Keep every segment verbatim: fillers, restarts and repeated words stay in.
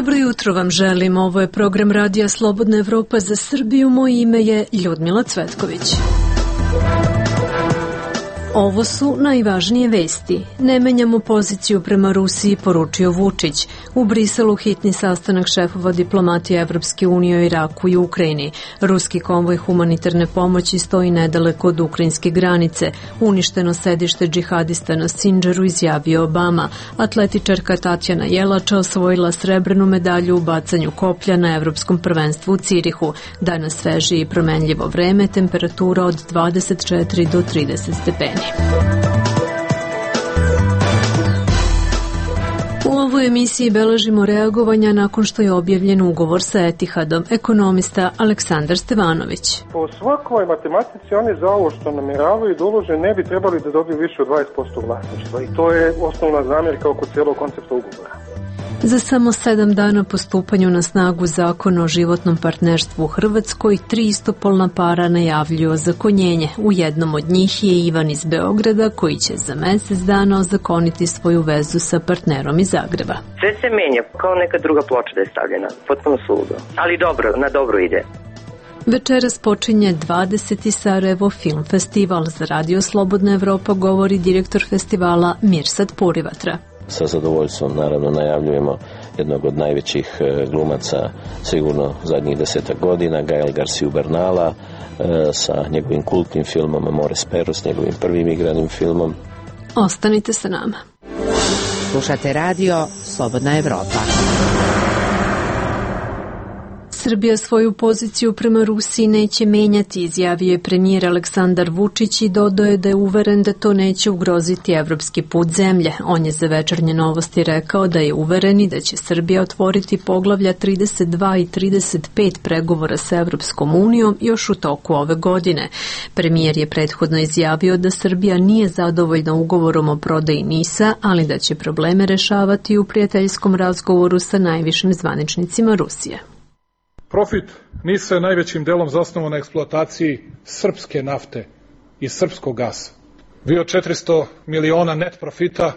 Dobro jutro vam želim. Ovo je program Radija Slobodna Evropa za Srbiju. Moje ime je Ljudmila Cvetković. Ovo su najvažnije vesti. Ne menjamo poziciju prema Rusiji, poručio Vučić. U Briselu hitni sastanak šefova diplomatije Evropske unije o Iraku i Ukrajini. Ruski konvoj humanitarne pomoći stoji nedaleko od ukrajinske granice. Uništeno sedište džihadista na Sindžaru, izjavio Obama. Atletičarka Tatjana Jelača osvojila srebrnu medalju u bacanju koplja na Evropskom prvenstvu u Cirihu. Danas sveže i promenljivo vreme, temperatura od dvadeset četiri do trideset stepeni. U ovoj emisiji beležimo reagovanja nakon što je objavljen ugovor sa Etihadom. Ekonomista Aleksandar Stevanović. Po svakoj matematici oni za ovo što namjeravaju da ulože ne bi trebali da dobiju više od dvadeset posto vlasništva i to je osnovna zamjerka oko cijelog koncepta ugovora. Za samo sedam dana po stupanju na snagu zakona o životnom partnerstvu u Hrvatskoj, tri istopolna para najavljuju ozakonjenje. U jednom od njih je Ivan iz Beograda, koji će za mjesec dana ozakoniti svoju vezu sa partnerom iz Zagreba. Sve se menja, kao neka druga ploča da je stavljena, potpuno suludo, ali dobro, na dobro ide. Večeras počinje dvadeseti Sarajevo Film Festival. Za Radio Slobodna Evropa govori direktor festivala Mirsad Purivatra. Sa zadovoljstvom naravno najavljujemo jednog od najvećih glumaca sigurno zadnjih desetak godina, Gael Garciju Bernala, sa njegovim kultnim filmom Amores Perros, njegovim prvim igranim filmom. Ostanite sa nama. Slušate Radio Slobodna Evropa. Srbija svoju poziciju prema Rusiji neće menjati, izjavio je premijer Aleksandar Vučić i dodao je da je uveren da to neće ugroziti evropski put zemlje. On je za Večernje novosti rekao da je uveren i da će Srbija otvoriti poglavlja trideset dva i trideset pet pregovora sa Evropskom unijom još u toku ove godine. Premijer je prethodno izjavio da Srbija nije zadovoljna ugovorom o prodaji NIS-a, ali da će probleme rešavati u prijateljskom razgovoru sa najvišim zvaničnicima Rusije. Profit NIS-a je najvećim delom zasnovan na eksploataciji srpske nafte i srpskog gasa. Vi od četiristo miliona net profita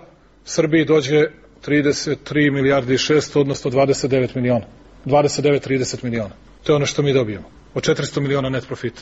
Srbiji dođe trideset tri milijarde i šesto, odnosno dvadeset devet miliona. dvadeset devet trideset miliona. To je ono što mi dobijemo. Od četiristo miliona net profita.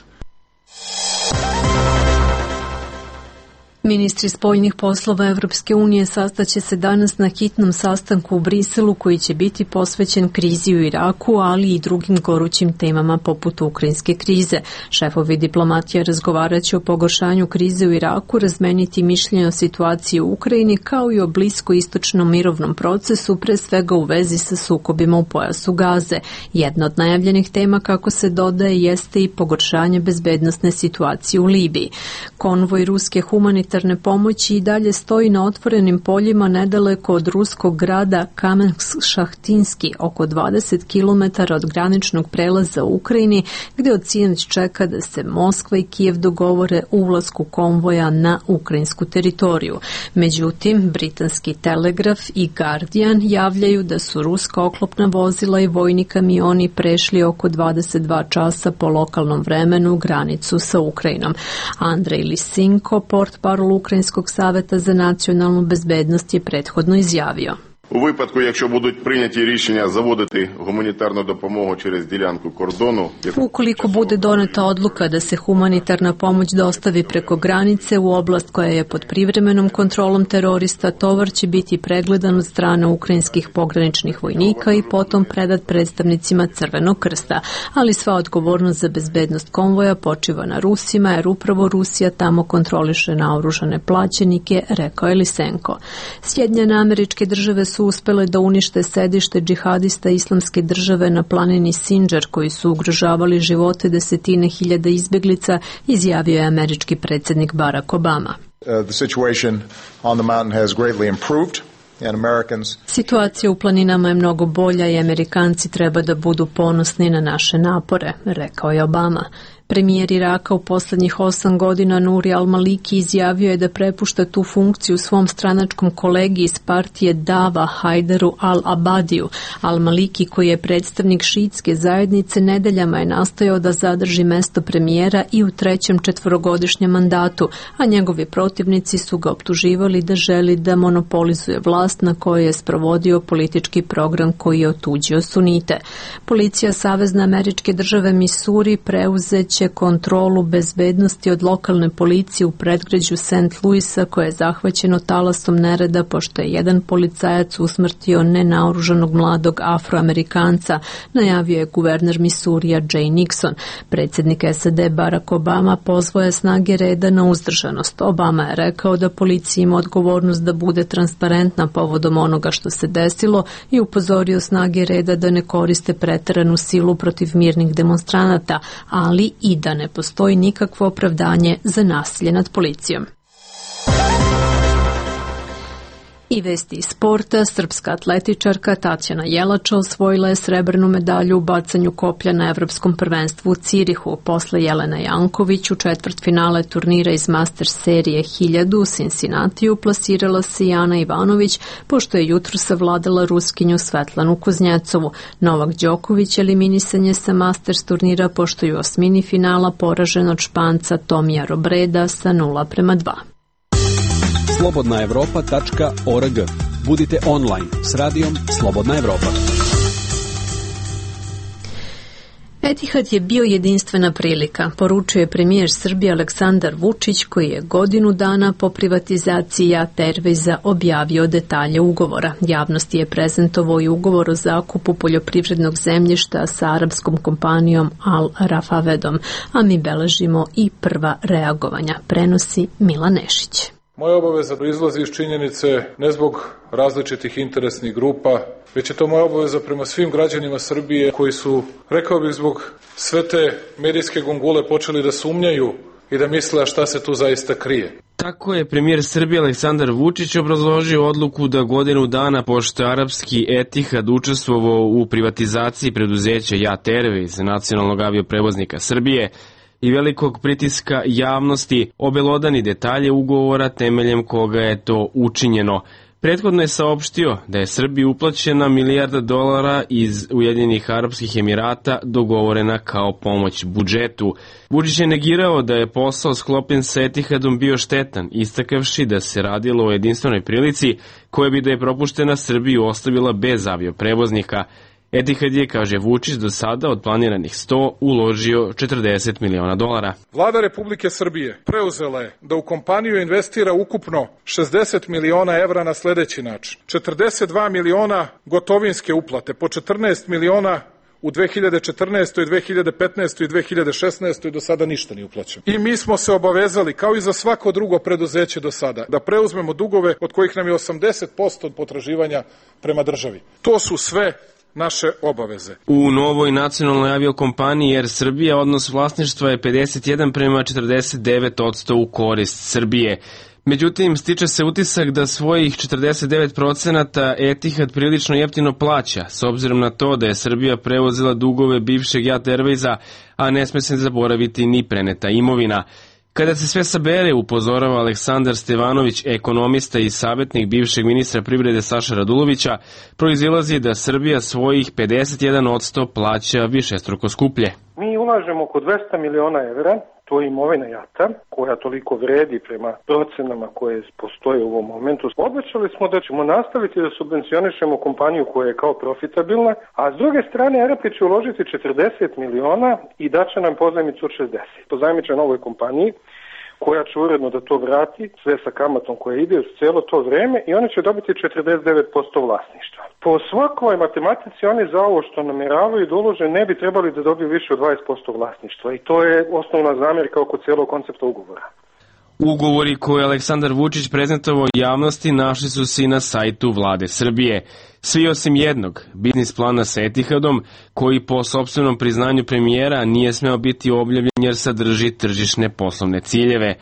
Ministri spoljnih poslova Evropske unije sastaće se danas na hitnom sastanku u Briselu koji će biti posvećen krizi u Iraku, ali i drugim gorućim temama poput ukrajinske krize. Šefovi diplomatija razgovaraće o pogoršanju krize u Iraku, razmeniti mišljenje o situaciji u Ukrajini kao i o bliskoistočnom mirovnom procesu, pre svega u vezi sa sukobima u pojasu Gaze. Jedna od najavljenih tema, kako se dodaje, jeste i pogoršanje bezbednosne situacije u Libiji. Konvoj ruske humanitarne pomoći i dalje stoji na otvorenim poljima nedaleko od ruskog grada Kamensk-Šahtinski, oko dvadeset kilometara od graničnog prelaza u Ukrajini, gde od sinoć čeka da se Moskva i Kijev dogovore o ulasku konvoja na ukrajinsku teritoriju. Međutim, britanski Telegraf i Guardian javljaju da su ruska oklopna vozila i vojni kamioni prešli oko dvadeset dva časa po lokalnom vremenu granicu sa Ukrajinom. Andrej Lisinko, portparol Ukrajinskog saveta za nacionalnu bezbednost, je prethodno izjavio. У випадку, якщо будуть прийняті рішення заводити гуманітарну допомогу через ділянку кордону. Ukoliko bude doneta odluka da se humanitarna pomoć dostavi preko granice u oblast koja je pod privremenom kontrolom terorista, tovar će biti pregledan od strane ukrajinskih pograničnih vojnika i potom predat predstavnicima Crvenog krsta. Ali sva odgovornost za bezbednost konvoja počiva na Rusima, jer upravo Rusija tamo kontroliše naoružane plaćenike, rekao je Lisenko. Sjedinjene Američke Države su uspele da unište sedište džihadista Islamske države na planini Sindžar, koji su ugrožavali živote desetine hiljada izbeglica, izjavio je američki predsjednik Barack Obama. Uh, the situation on the mountain has greatly improved. Situacija u planinama je mnogo bolja i Amerikanci treba da budu ponosni na naše napore, rekao je Obama. Premijer Iraka u posljednjih osam godina Nuri al-Maliki izjavio je da prepušta tu funkciju svom stranačkom kolegi iz partije Dava Hajderu al-Abadiju. Al-Maliki, koji je predstavnik šiitske zajednice, nedeljama je nastojao da zadrži mesto premijera i u trećem četvorogodišnjem mandatu, a njegovi protivnici su ga optuživali da želi da monopolizuje vlast na kojoj je sprovodio politički program koji je otuđio sunite. Policija Savezne Američke Države Missouri preuzeće kontrolu bezbednosti od lokalne policije u predgrađu Saint Louisa, koje je zahvaćeno talasom nereda pošto je jedan policajac usmrtio nenaoružanog mladog Afroamerikanca, najavio je guverner Missourija Jay Nixon. Predsjednik S A D Barack Obama pozvao je snage reda na uzdržanost. Obama je rekao da policija ima odgovornost da bude transparentna povodom onoga što se desilo i upozorio snage reda da ne koriste preteranu silu protiv mirnih demonstranata, ali i da ne postoji nikakvo opravdanje za nasilje nad policijom. I vesti iz sporta. Srpska atletičarka Tatjana Jelača osvojila je srebrnu medalju u bacanju koplja na Evropskom prvenstvu u Cirihu. Posle Jelena Janković u četvrtfinale turnira iz Masters serije hiljadu u Cincinnatiju plasirala se Jana Ivanović, pošto je jutro savladala Ruskinju Svetlanu Kuznjecovu. Novak Đoković eliminisan je sa Masters turnira pošto je u osmini finala poražen od Španca Tomija Robreda sa nula prema dva. slobodna evropa tačka org. Budite online s radijom Slobodna Evropa. Etihad je bio jedinstvena prilika, poručio je premijer Srbije Aleksandar Vučić, koji je godinu dana po privatizaciji JAT Airwaysa objavio detalje ugovora. Javnosti je prezentovao i ugovor o zakupu poljoprivrednog zemljišta sa arapskom kompanijom Al Rafavedom, a mi beležimo i prva reagovanja, prenosi Milan Nešić. Moja obaveza proizlazi iz činjenice ne zbog različitih interesnih grupa, već je to moja obaveza prema svim građanima Srbije koji su, rekao bih, zbog sve te medijske gungule počeli da sumnjaju i da misle šta se tu zaista krije. Tako je premijer Srbije Aleksandar Vučić obrazložio odluku da godinu dana pošto je arapski Etihad učestvovao u privatizaciji preduzeća JAT Airways, nacionalnog avioprevoznika Srbije, i velikog pritiska javnosti obelodani detalje ugovora temeljem koga je to učinjeno. Prethodno je saopštio da je Srbiji uplaćena milijarda dolara iz Ujedinjenih Arapskih Emirata dogovorena kao pomoć budžetu. Vučić je negirao da je posao sklopljen sa Etihadom bio štetan, istakavši da se radilo o jedinstvenoj prilici koja bi da je propuštena Srbiju ostavila bez avioprevoznika. Etihad je, kaže Vučić, do sada od planiranih sto uložio četrdeset miliona dolara. Vlada Republike Srbije preuzela je da u kompaniju investira ukupno šezdeset miliona evra na sledeći način. četrdeset dva miliona gotovinske uplate, po četrnaest miliona u dve hiljade četrnaestoj, dve hiljade petnaestoj i dve hiljade šesnaestoj do sada ništa nije uplaćeno. I mi smo se obavezali, kao i za svako drugo preduzeće do sada, da preuzmemo dugove od kojih nam je osamdeset posto potraživanja prema državi. To su sve naše obaveze. U novoj nacionalnoj aviokompaniji Air Srbija odnos vlasništva je pedeset jedan prema četrdeset devet odsto u korist Srbije. Međutim, stiče se utisak da svojih četrdeset devet procenata Etihad prilično jeftino plaća, s obzirom na to da je Srbija preuzela dugove bivšeg JAT Airwaysa, a ne sme se zaboraviti ni preneta imovina. Kada se sve sabere, upozorava Aleksandar Stevanović, ekonomista i savjetnik bivšeg ministra privrede Saša Radulovića, proizilazi da Srbija svojih pedeset jedan odsto plaća višestruko skuplje. Mi ulažemo oko dvesta miliona evra, to je imovina JAT-a, koja toliko vredi prema procenama koje postoje u ovom momentu. Obećali smo da ćemo nastaviti da subvencionišemo kompaniju koja je kao profitabilna, a s druge strane Arapi će uložiti četrdeset miliona i daće nam pozajmicu od šezdeset. Pozajmiće novoj kompaniji koja će uredno da to vrati, sve sa kamatom koja ide uz cijelo to vreme, i oni će dobiti četrdeset devet posto vlasništva. Po svakoj matematici oni za ovo što namjeravaju da ulože ne bi trebali da dobiju više od dvadeset posto vlasništva, i to je osnovna zamjerka oko cijelog koncepta ugovora. Ugovori koje je Aleksandar Vučić prezentovao javnosti našli su se i na sajtu Vlade Srbije. Svi osim jednog, biznis plana sa Etihadom, koji po sopstvenom priznanju premijera nije smeo biti objavljen jer sadrži tržišne poslovne ciljeve.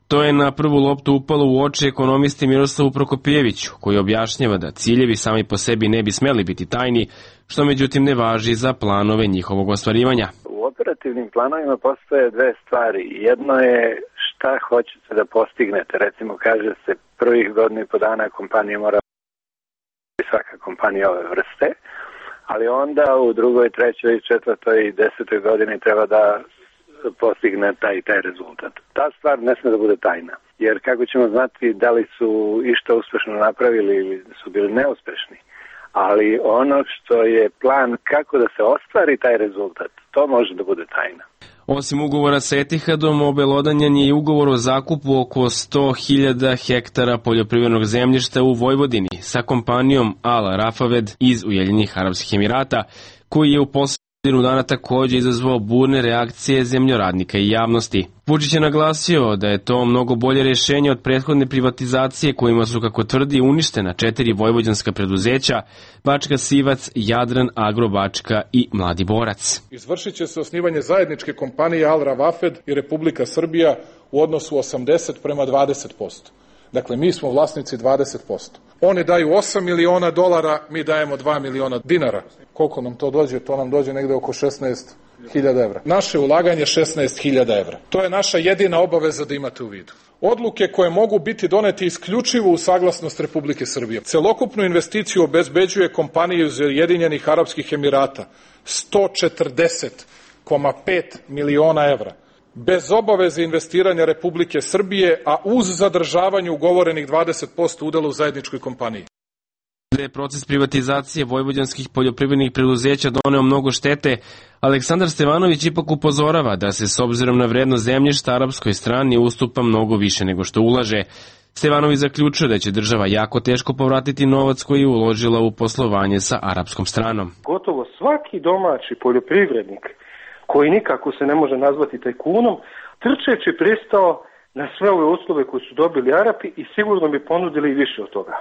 To je na prvu loptu upalo u oči ekonomisti Miroslavu Prokopijeviću, koji objašnjava da ciljevi sami po sebi ne bi smeli biti tajni, što međutim ne važi za planove njihovog ostvarivanja. U operativnim planovima postoje dve stvari. Jedno je šta hoćete da postignete. Recimo, kaže se prvih godinu i po dana kompanija mora, svaka kompanija ove vrste, ali onda u drugoj, trećoj, četvrtoj i desetoj godini treba da postigne taj i taj rezultat. Ta stvar ne sme da bude tajna, jer kako ćemo znati da li su išta uspešno napravili ili su bili neuspešni, ali ono što je plan kako da se ostvari taj rezultat, to može da bude tajna. Osim ugovora sa Etihadom, obelodanjen je i ugovor o zakupu oko sto hiljada hektara poljoprivrednog zemljišta u Vojvodini sa kompanijom Al Rafaved iz Ujedinjenih Arapskih Emirata, koji je u poslednju dana takođe izazvao burne reakcije zemljoradnika i javnosti. Vučić je naglasio da je to mnogo bolje rešenje od prethodne privatizacije kojima su, kako tvrdi, uništena četiri vojvođanska preduzeća: Bačka Sivac, Jadran, Agro Bačka i Mladi Borac. Izvršit će se osnivanje zajedničke kompanije Al Ravafed i Republika Srbija u odnosu osamdeset prema dvadeset posto. Dakle, mi smo vlasnici dvadeset posto. Oni daju osam miliona dolara, mi dajemo dva miliona dinara. Koliko nam to dođe? To nam dođe negde oko šesnaest hiljada evra. Naše ulaganje šesnaest hiljada evra. To je naša jedina obaveza da imate u vidu. Odluke koje mogu biti doneti isključivo u saglasnost Republike Srbije. Celokupnu investiciju obezbeđuje kompanija iz Ujedinjenih Arapskih Emirata, sto četrdeset zarez pet miliona evra. Bez obaveze investiranja Republike Srbije, a uz zadržavanje ugovorenih dvadeset posto udela u zajedničkoj kompaniji. Da je proces privatizacije vojvođanskih poljoprivrednih preduzeća doneo mnogo štete, Aleksandar Stevanović ipak upozorava da se s obzirom na vrednost zemljišta arapskoj strani ustupa mnogo više nego što ulaže. Stevanović zaključuje da će država jako teško povratiti novac koji je uložila u poslovanje sa arapskom stranom. Gotovo svaki domaći poljoprivrednik koji nikako se ne može nazvati tajkunom, trčeći pristao na sve ove uslove koje su dobili Arapi i sigurno bi ponudili i više od toga.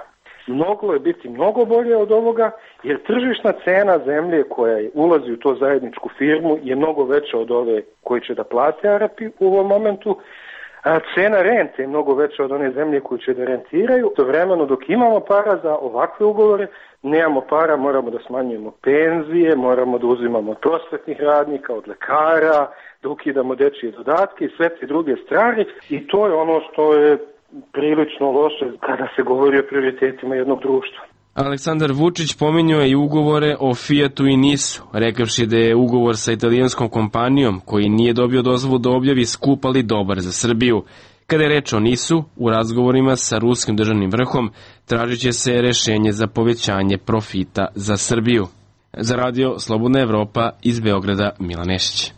Moglo je biti mnogo bolje od ovoga, jer tržišna cena zemlje koja ulazi u to zajedničku firmu je mnogo veća od ove koji će da plate Arapi u ovom momentu. A cena rente je mnogo veća od one zemlje koju će da rentiraju. To vremeno dok imamo para za ovakve ugovore, nemamo para, moramo da smanjujemo penzije, moramo da uzimamo od prosvetnih radnika, od lekara, da ukidamo dečije dodatke i sve te druge stvari. I to je ono što je prilično loše kada se govori o prioritetima jednog društva. Aleksandar Vučić pominjao je i ugovore o Fijatu i Nisu, rekavši da je ugovor sa italijanskom kompanijom, koji nije dobio dozvolu da objavi, skup ali dobar za Srbiju. Kada je reč o Nisu, u razgovorima sa ruskim državnim vrhom tražit će se rešenje za povećanje profita za Srbiju. Za radio Slobodna Evropa iz Beograda, Milan Nešić.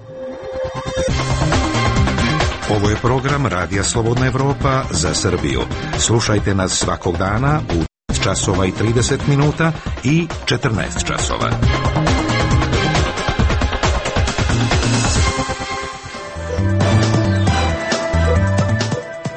Ovo je program Radija Slobodna Evropa za Srbiju. Slušajte nas svakog dana u časova i trideset minuta i četrnaest časova.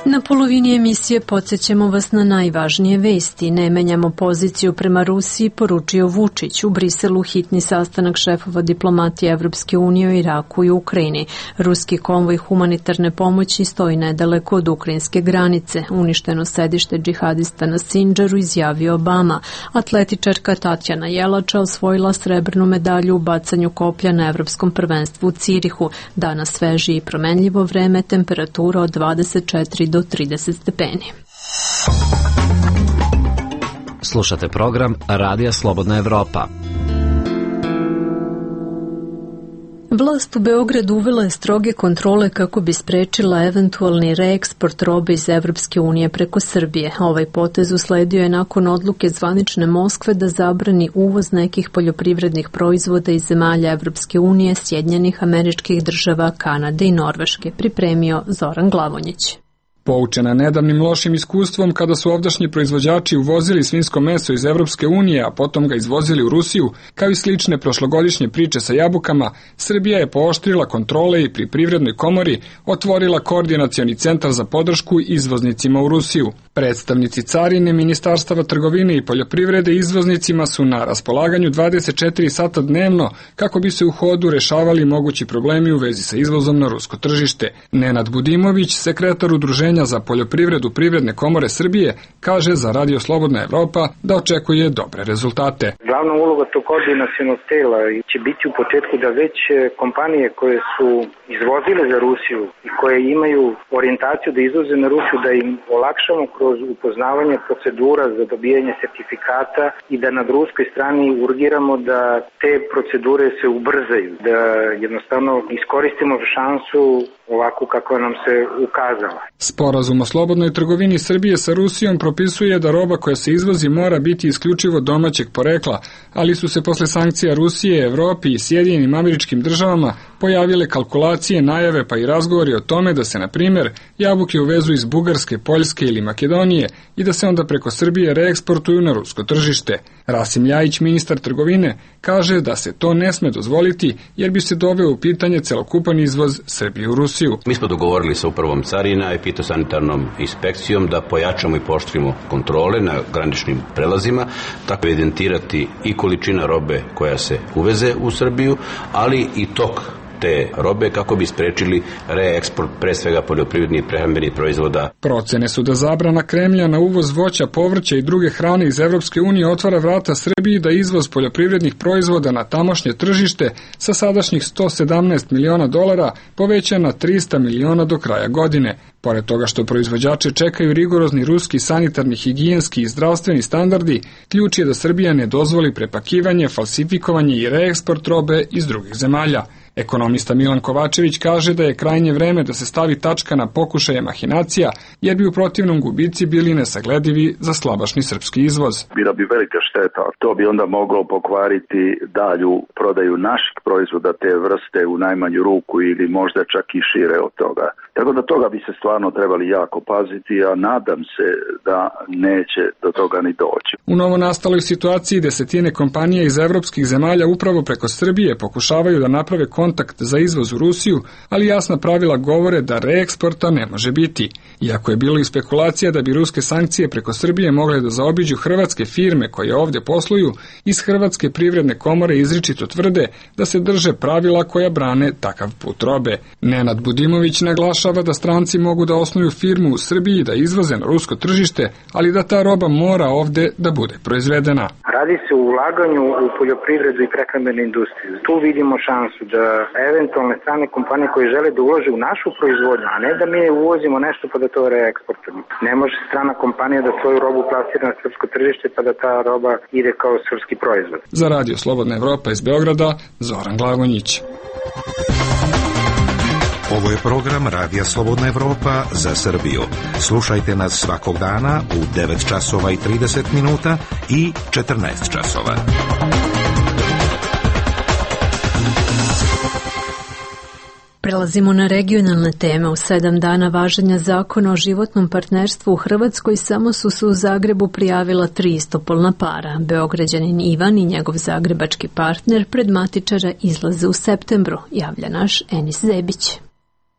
Na polovini emisije podsjećamo vas na najvažnije vesti. Ne menjamo poziciju prema Rusiji, poručio Vučić. U Briselu hitni sastanak šefova diplomatije Evropske unije o Iraku i Ukrajini. Ruski konvoj humanitarne pomoći stoji nedaleko od ukrajinske granice. Uništeno sedište džihadista na Sindžaru, izjavio Obama. Atletičarka Tatjana Jelača osvojila srebrnu medalju u bacanju koplja na Evropskom prvenstvu u Cirihu. Danas sveže i promenljivo vreme, temperatura od dvadeset četiri do trideset stepeni. Slušate program Radija Slobodna Evropa. Vlast u Beogradu uvela je stroge kontrole kako bi sprečila eventualni reeksport robe iz Evropske unije preko Srbije. Ovaj potez usledio je nakon odluke zvanične Moskve da zabrani uvoz nekih poljoprivrednih proizvoda iz zemalja Evropske unije, Sjedinjenih Američkih Država, Kanade i Norveške, pripremio Zoran Glavonjić. Poučena nedavnim lošim iskustvom kada su ovdašnji proizvođači uvozili svinjsko meso iz Evropske unije, a potom ga izvozili u Rusiju, kao i slične prošlogodišnje priče sa jabukama, Srbija je pooštrila kontrole i pri Privrednoj komori otvorila koordinacioni centar za podršku izvoznicima u Rusiju. Predstavnici carine, ministarstava trgovine i poljoprivrede izvoznicima su na raspolaganju dvadeset četiri sata dnevno kako bi se u hodu rešavali mogući problemi u vezi sa izvozom na rusko tržište. Nenad Budimović, sekretar udruženja Udruženja za poljoprivredu Privredne komore Srbije, kaže za Radio Slobodna Evropa da očekuje dobre rezultate. Glavna uloga tog koordinacionog tela će biti u početku da već kompanije koje su izvozile za Rusiju i koje imaju orijentaciju da izvoze na Rusiju, da im olakšamo kroz upoznavanje procedura za dobijanje sertifikata i da na ruskoj strani urgiramo da te procedure se ubrzaju, da jednostavno iskoristimo šansu ovako kako nam se ukazala. Sporazum o slobodnoj trgovini Srbije sa Rusijom propisuje da roba koja se izvozi mora biti isključivo domaćeg porekla, ali su se posle sankcija Rusije, Evropi i Sjedinjenim Američkim Državama pojavile kalkulacije, najave pa i razgovori o tome da se, na primjer, jabuke uvezu iz Bugarske, Poljske ili Makedonije i da se onda preko Srbije reeksportuju na rusko tržište. Rasim Ljajić, ministar trgovine, kaže da se to ne sme dozvoliti jer bi se doveo u pitanje celokupan izvoz Srbije u Rusiju. Mi smo dogovorili sa upravom carina i fitosanitarnom inspekcijom da pojačamo i pooštrimo kontrole na graničnim prelazima, tako evidentirati i količina robe koja se uveze u Srbiju, ali i tok te robe kako bi sprečili reeksport pre svega poljoprivrednih i prehrambenih proizvoda. Procene su da zabrana Kremlja na uvoz voća, povrća i druge hrane iz Evropske unije otvara vrata Srbiji da izvoz poljoprivrednih proizvoda na tamošnje tržište sa sadašnjih sto sedamnaest miliona dolara poveća na trista miliona do kraja godine. Pored toga što proizvođače čekaju rigorozni ruski sanitarni, higijenski i zdravstveni standardi, ključ je da Srbija ne dozvoli prepakivanje, falsifikovanje i reeksport robe iz drugih zemalja. Ekonomista Milan Kovačević kaže da je krajnje vreme da se stavi tačka na pokušaje mahinacija, jer bi u protivnom gubici bili nesagledivi za slabašni srpski izvoz. Bila bi velika šteta, to bi onda moglo pokvariti dalju prodaju naših proizvoda te vrste u najmanju ruku ili možda čak i šire od toga. Tako da toga bi se stvarno trebali jako paziti, a nadam se da neće do toga ni doći. U novonastaloj situaciji desetine kompanija iz evropskih zemalja upravo preko Srbije pokušavaju da naprave kontakt za izvoz u Rusiju, ali jasna pravila govore da reeksporta ne može biti. Iako je bilo i spekulacija da bi ruske sankcije preko Srbije mogle da zaobiđu hrvatske firme koje ovdje posluju, iz Hrvatske privredne komore izričito tvrde da se drže pravila koja brane takav put robe. Nenad Budimović naglašava da stranci mogu da osnuju firmu u Srbiji da izvoze na rusko tržište, ali da ta roba mora ovde da bude proizvedena. Radi se o ulaganju u poljoprivredu i prehrambenu industriju. Tu vidimo šansu da eventualne strane kompanije koje žele da ulože u našu proizvodnju, a ne da mi uvozimo nešto pa da to reeksportujemo. Ne može strana kompanija da svoju robu plasira na srpsko tržište pa da ta roba ide kao srpski proizvod. Za Radio Slobodna Evropa iz Beograda, Zoran Glagonjić. Ovo je program Radija Slobodna Evropa za Srbiju. Slušajte nas svakog dana u devet časova i trideset minuta i četrnaest časova. Prelazimo na regionalne teme. U sedam dana važenja zakona o životnom partnerstvu u Hrvatskoj samo su se u Zagrebu prijavila tri istopolna para. Beograđanin Ivan i njegov zagrebački partner pred matičara izlaze u septembru, javlja naš Enis Zebić.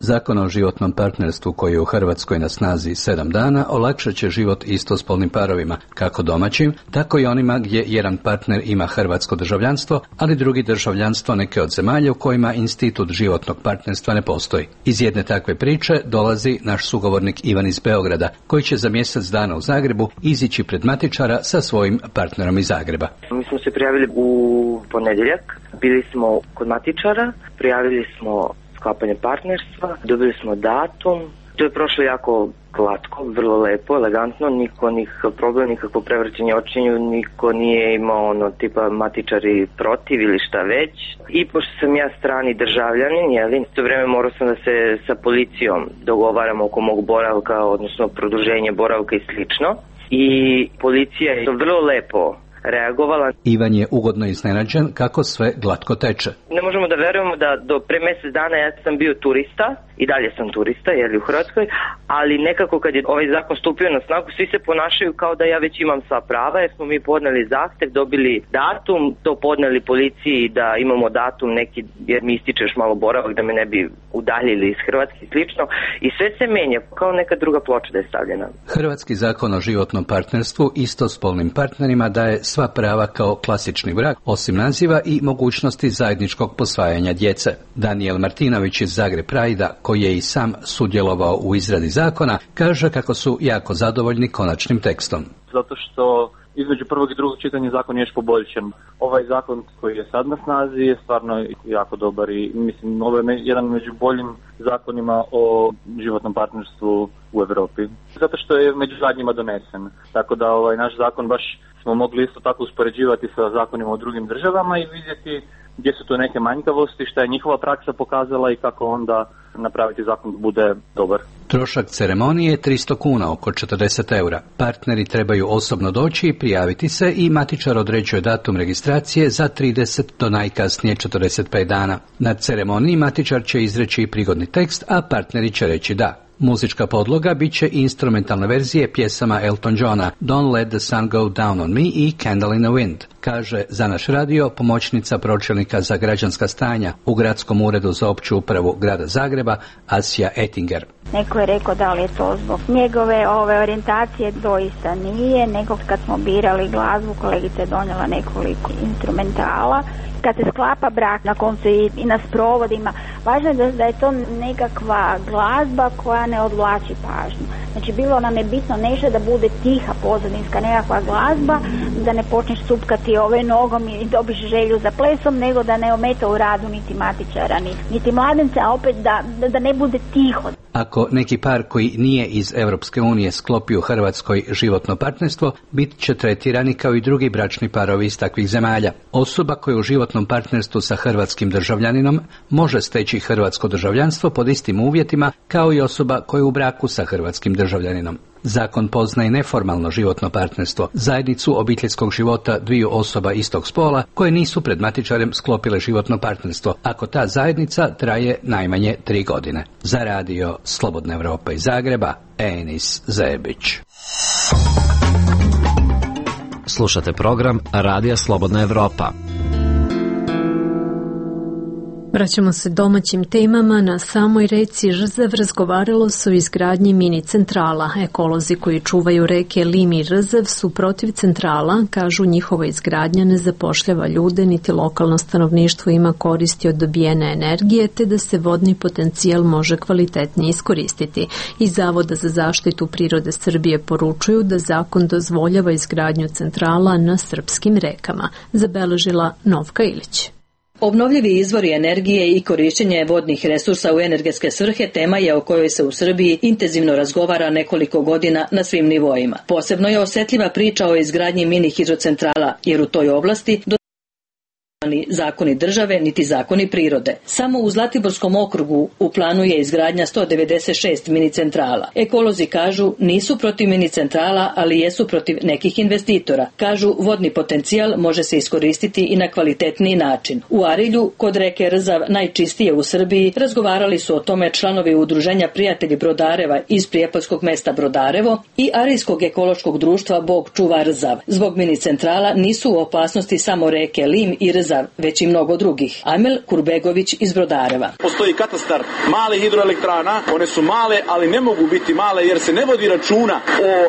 Zakon o životnom partnerstvu koji je u Hrvatskoj na snazi sedam dana olakšat će život istospolnim parovima, kako domaćim, tako i onima gdje jedan partner ima hrvatsko državljanstvo, ali drugi državljanstvo neke od zemalja u kojima institut životnog partnerstva ne postoji. Iz jedne takve priče dolazi naš sugovornik Ivan iz Beograda, koji će za mjesec dana u Zagrebu izići pred matičara sa svojim partnerom iz Zagreba. Mi smo se prijavili u ponedjeljak, bili smo kod matičara, prijavili smo sklapanje partnerstva, dobili smo datum, to je prošlo jako glatko, vrlo lepo, elegantno, niko nikakav problem, nikakvo prevrćenje očinju, niko nije imao ono tipa matičari protiv ili šta već. I pošto sam ja strani državljanin, jeli, to vreme morao sam da se sa policijom dogovaram oko mog boravka, odnosno produženje boravka i slično. I policija je vrlo lepo reagovala. Ivan je ugodno iznenađen kako sve glatko teče. Ne možemo da verujemo da do pre mjesec dana ja sam bio turista, i dalje sam turista, jeli u Hrvatskoj, ali nekako kad je ovaj zakon stupio na snagu, svi se ponašaju kao da ja već imam sva prava, jer smo mi podneli zahtev, dobili datum, to podneli policiji da imamo datum neki, jer mi ističeš malo boravak da me ne bi udaljili iz Hrvatske i slično, i sve se menja, kao neka druga ploča da je stavljena. Hrvatski zakon o životnom partnerstvu istospolnim partnerima daje sva prava kao klasični brak, osim naziva i mogućnosti zajedničkog posvajanja djece. Daniel Martinović iz Zagreb Prajda, koji je i sam sudjelovao u izradi zakona, kaže kako su jako zadovoljni konačnim tekstom. Zato što između prvog i drugog čitanja zakon je još poboljšan. Ovaj zakon koji je sad na snazi je stvarno jako dobar i mislim ovo je jedan među boljim zakonima o životnom partnerstvu u Evropi. Zato što je među zadnjima donesen. Tako da ovaj naš zakon baš smo mogli isto tako uspoređivati sa zakonima u drugim državama i vidjeti gdje su to neke manjkavosti, šta je njihova praksa pokazala i kako onda napraviti zakon da bude dobar. Trošak ceremonije je tristo kuna, oko četrdeset eura. Partneri trebaju osobno doći i prijaviti se i matičar određuje datum registracije za trideset do najkasnije četrdeset pet dana. Na ceremoniji matičar će izreći prigodni tekst, a partneri će reći da. Muzička podloga bit će instrumentalne verzije pjesama Elton Johna Don't Let the Sun Go Down on Me i Candle in the Wind, kaže za naš radio pomoćnica pročelnika za građanska stanja u Gradskom uredu za opću upravu grada Zagreba Asija Ettinger. Neko je rekao da li je to zbog njegove ove orijentacije, doista nije, nego kad smo birali glazbu, kolegica je donijela nekoliko instrumentala. Kad se sklapa brak, na koncu i, i na sprovodima, važno je da, da je to nekakva glazba koja ne odvlači pažnju. Znači bilo nam je bitno nešto da bude tiha pozadinska nekakva glazba, da ne počneš supkati ove nogom i dobiš želju za plesom, nego da ne ometa u radu niti matičara, niti, niti mladenca, a opet da, da, da ne bude tiho. Ako neki par koji nije iz Europske unije sklopi u Hrvatskoj životno partnerstvo, bit će tretirani kao i drugi bračni parovi iz takvih zemalja. Osoba koja u životnom partnerstvu sa hrvatskim državljaninom može steći hrvatsko državljanstvo pod istim uvjetima kao i osoba koja je u braku sa hrvatskim državljaninom. Zakon poznaje neformalno životno partnerstvo, zajednicu obiteljskog života dviju osoba istog spola koje nisu pred matičarem sklopile životno partnerstvo, ako ta zajednica traje najmanje tri godine. Za radio Slobodna Evropa iz Zagreba, Enis Zebić. Slušate program Radija Slobodna Evropa. Vraćamo se domaćim temama. Na samoj reci Rzav razgovaralo se o izgradnji mini centrala. Ekolozi koji čuvaju reke Lim i Rzav su protiv centrala, kažu njihova izgradnja ne zapošljava ljude, niti lokalno stanovništvo ima koristi od dobijene energije, te da se vodni potencijal može kvalitetnije iskoristiti. Iz Zavoda za zaštitu prirode Srbije poručuju da zakon dozvoljava izgradnju centrala na srpskim rekama. Zabeležila Novka Ilić. Obnovljivi izvori energije i korišćenje vodnih resursa u energetske svrhe tema je o kojoj se u Srbiji intenzivno razgovara nekoliko godina na svim nivoima. Posebno je osjetljiva priča o izgradnji mini hidrocentrala, jer u toj oblasti do ni zakoni države, niti zakoni prirode. Samo u Zlatiborskom okrugu u planu je izgradnja sto devedeset šest mini centrala. Ekolozi kažu nisu protiv mini centrala, ali jesu protiv nekih investitora. Kažu vodni potencijal može se iskoristiti i na kvalitetniji način. U Arilju, kod reke Rzav, najčistije u Srbiji, razgovarali su o tome članovi udruženja Prijatelji Brodareva iz prijepoljskog mesta Brodarevo i Arilskog ekološkog društva Bog čuva Rzav. Zbog mini centrala nisu u opasnosti samo reke Lim i Rzav, već i mnogo drugih. Amel Kurbegović iz Brodareva. Postoji katastar malih hidroelektrana, one su male, ali ne mogu biti male jer se ne vodi računa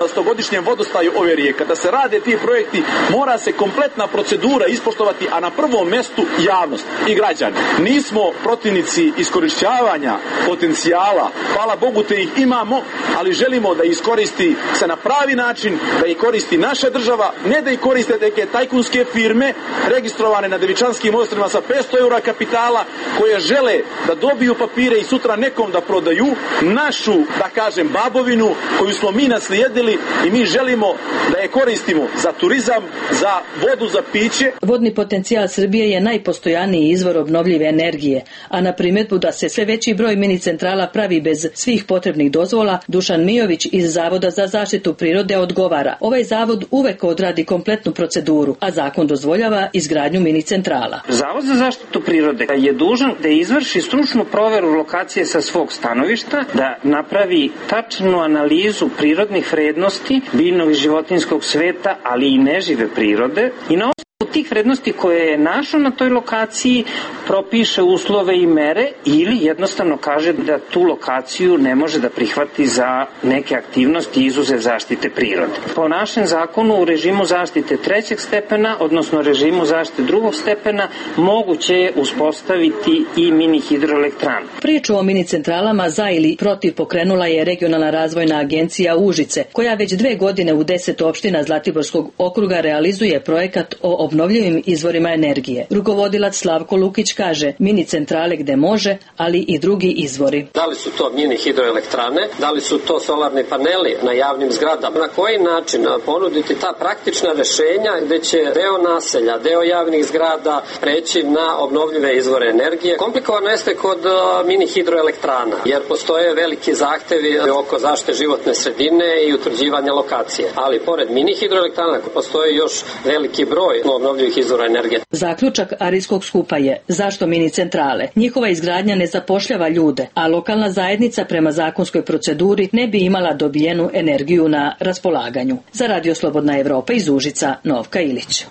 o stogodišnjem vodostaju ove rijeke. Kada se rade ti projekti, mora se kompletna procedura ispoštovati, a na prvom mestu javnost i građani. Nismo protivnici iskorišćavanja potencijala, hvala Bogu te ih imamo, ali želimo da iskoristi se na pravi način, da ih koristi naša država, ne da ih koriste neke tajkunske firme registrovane na Devičanskim ostrvima sa petsto eura kapitala, koje žele da dobiju papire i sutra nekom da prodaju našu, da kažem, babovinu koju smo mi naslijedili i mi želimo da je koristimo za turizam, za vodu, za piće. Vodni potencijal Srbije je najpostojaniji izvor obnovljive energije, a na primjedbu da se sve veći broj mini centrala pravi bez svih potrebnih dozvola, Dušan Mijović iz Zavoda za zaštitu prirode odgovara. Ovaj zavod uvek odradi kompletnu proceduru, a zakon dozvoljava izgradnju mini centrala. Zavod za zaštitu prirode je dužan da izvrši stručnu proveru lokacije sa svog stanovišta, da napravi tačnu analizu prirodnih vrednosti biljnog i životinjskog sveta, ali i nežive prirode i na osnovu tih vrednosti koje je našao na toj lokaciji propiše uslove i mere ili jednostavno kaže da tu lokaciju ne može da prihvati za neke aktivnosti izuzev zaštite prirode. Po našem zakonu u režimu zaštite trećeg stepena, odnosno režimu zaštite drugog stepena, moguće je uspostaviti i mini hidroelektranu. Priču o mini centralama za ili protiv pokrenula je Regionalna razvojna agencija Užice, koja već dve godine u deset opština Zlatiborskog okruga realizuje projekat o obnovljivim izvorima energije. Rukovodilac Slavko Lukić kaže, mini centrale gde može, ali i drugi izvori. Da li su to mini hidroelektrane, da li su to solarni paneli na javnim zgradama, na koji način ponuditi ta praktična rešenja gde će deo naselja, deo javnih zgrada preći na obnovljive izvore energije. Komplikovano jeste kod mini hidroelektrana, jer postoje veliki zahtevi oko zaštite životne sredine i utvrđivanja lokacije. Ali pored mini hidroelektrana postoji još veliki broj obnovljivih izvora energije. Zaključak Arijskog skupa je zašto mini centrale? Njihova izgradnja ne zapošljava ljude, a lokalna zajednica prema zakonskoj proceduri ne bi imala dobijenu energiju na raspolaganju. Za Radio Slobodna Evropa iz Užica, Novka Ilić.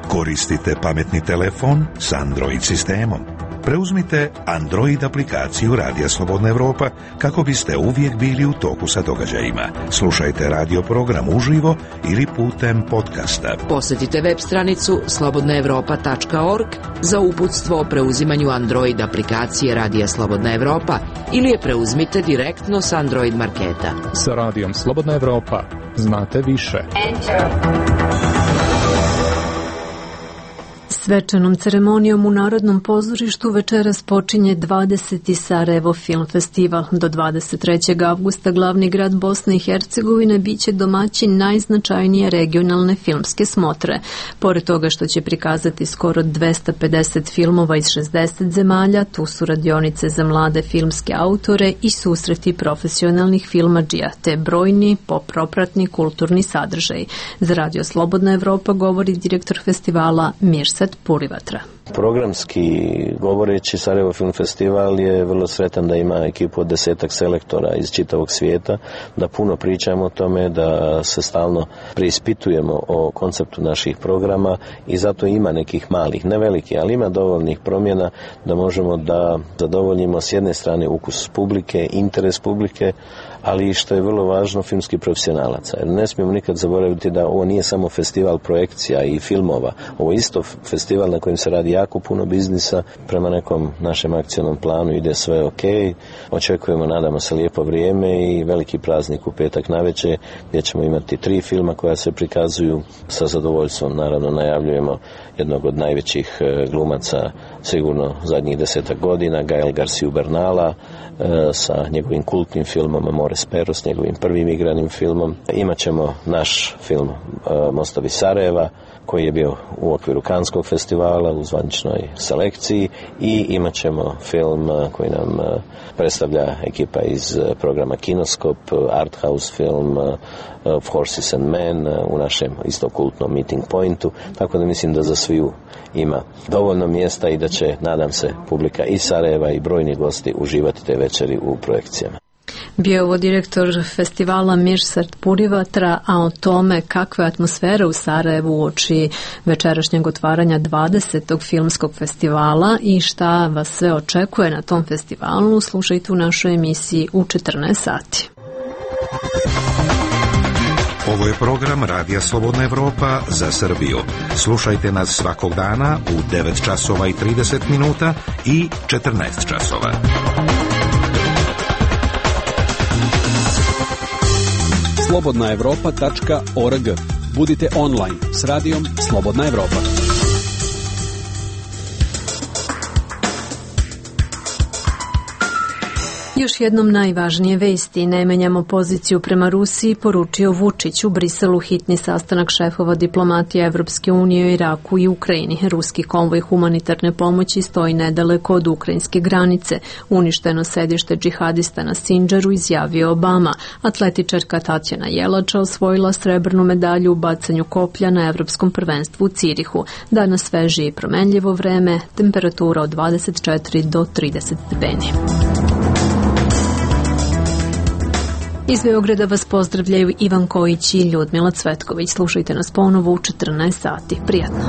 Koristite pametni telefon s Android sistemom. Preuzmite Android aplikaciju Radija Slobodna Evropa kako biste uvijek bili u toku sa događajima. Slušajte radio program uživo ili putem podcasta. Posjetite web stranicu slobodna evropa tačka org za uputstvo o preuzimanju Android aplikacije Radija Slobodna Evropa ili je preuzmite direktno s Android marketa. Sa Radijom Slobodna Evropa znate više. Enter. Svečanom ceremonijom u Narodnom pozorištu večeras počinje dvadeseti Sarajevo Film Festival. Do dvadeset trećeg avgusta glavni grad Bosne i Hercegovine biće domaćin najznačajnije regionalne filmske smotre. Pored toga što će prikazati skoro dvesta pedeset filmova iz šezdeset zemalja, tu su radionice za mlade filmske autore i susreti profesionalnih filmadžija, te brojni popropratni kulturni sadržaj. Za Radio Slobodna Evropa govori direktor festivala Mirsad Purivatra. Programski govoreći, Sarajevo Film Festival je vrlo sretan da ima ekipu od desetak selektora iz čitavog svijeta, da puno pričamo o tome, da se stalno preispitujemo o konceptu naših programa i zato ima nekih malih, ne veliki, ali ima dovoljnih promjena da možemo da zadovoljimo s jedne strane ukus publike, interes publike, ali i što je vrlo važno, filmski profesionalaca. Jer ne smijemo nikad zaboraviti da ovo nije samo festival projekcija i filmova, ovo je isto festival na kojem se radi jako puno biznisa, prema nekom našem akcionom planu ide sve ok, očekujemo, nadamo se, lijepo vrijeme i veliki praznik u petak navečer gdje ćemo imati tri filma koja se prikazuju. Sa zadovoljstvom naravno najavljujemo jednog od najvećih glumaca sigurno zadnjih desetak godina, Gael Garciju Bernala, sa njegovim kultnim filmom Amores Perros, njegovim prvim igranim filmom. Imaćemo naš film Mostovi Sarajeva, koji je bio u okviru Kanskog festivala u zvaničnoj selekciji, i imat ćemo film koji nam predstavlja ekipa iz programa Kinoskop, Arthouse film Of Horses and Men u našem isto kultnom Meeting Pointu, tako da mislim da za sviju ima dovoljno mjesta i da će, nadam se, publika iz Sarajeva i brojni gosti uživati te večeri u projekcijama. Bio je ovo direktor festivala Mirsad Purivatra, a o tome kakva je atmosfera u Sarajevu uoči večerašnjeg otvaranja dvadesetog filmskog festivala i šta vas sve očekuje na tom festivalu, slušajte u našoj emisiji u četrnaest sati. Ovo je program Radija Slobodna Evropa za Srbiju. Slušajte nas svakog dana u devet časova i trideset minuta i četrnaest časova. slobodna evropa tačka org. Budite online s radijom Slobodna Evropa. Još jednom najvažnije vesti. Ne menjamo poziciju prema Rusiji, poručio Vučić. U Briselu hitni sastanak šefova diplomatije Evropske unije u Iraku i Ukrajini. Ruski konvoj humanitarne pomoći stoji nedaleko od ukrajinske granice. Uništeno sedište džihadista na Sindžaru, izjavio Obama. Atletičarka Tatjana Jelača osvojila srebrnu medalju u bacanju koplja na Evropskom prvenstvu u Cirihu. Danas sveže i promenljivo vreme, temperatura od dvadeset četiri do trideset stepeni. Iz Beograda vas pozdravljaju Ivan Kojić i Ljudmila Cvetković. Slušajte nas ponovo u četrnaest sati. Prijatno.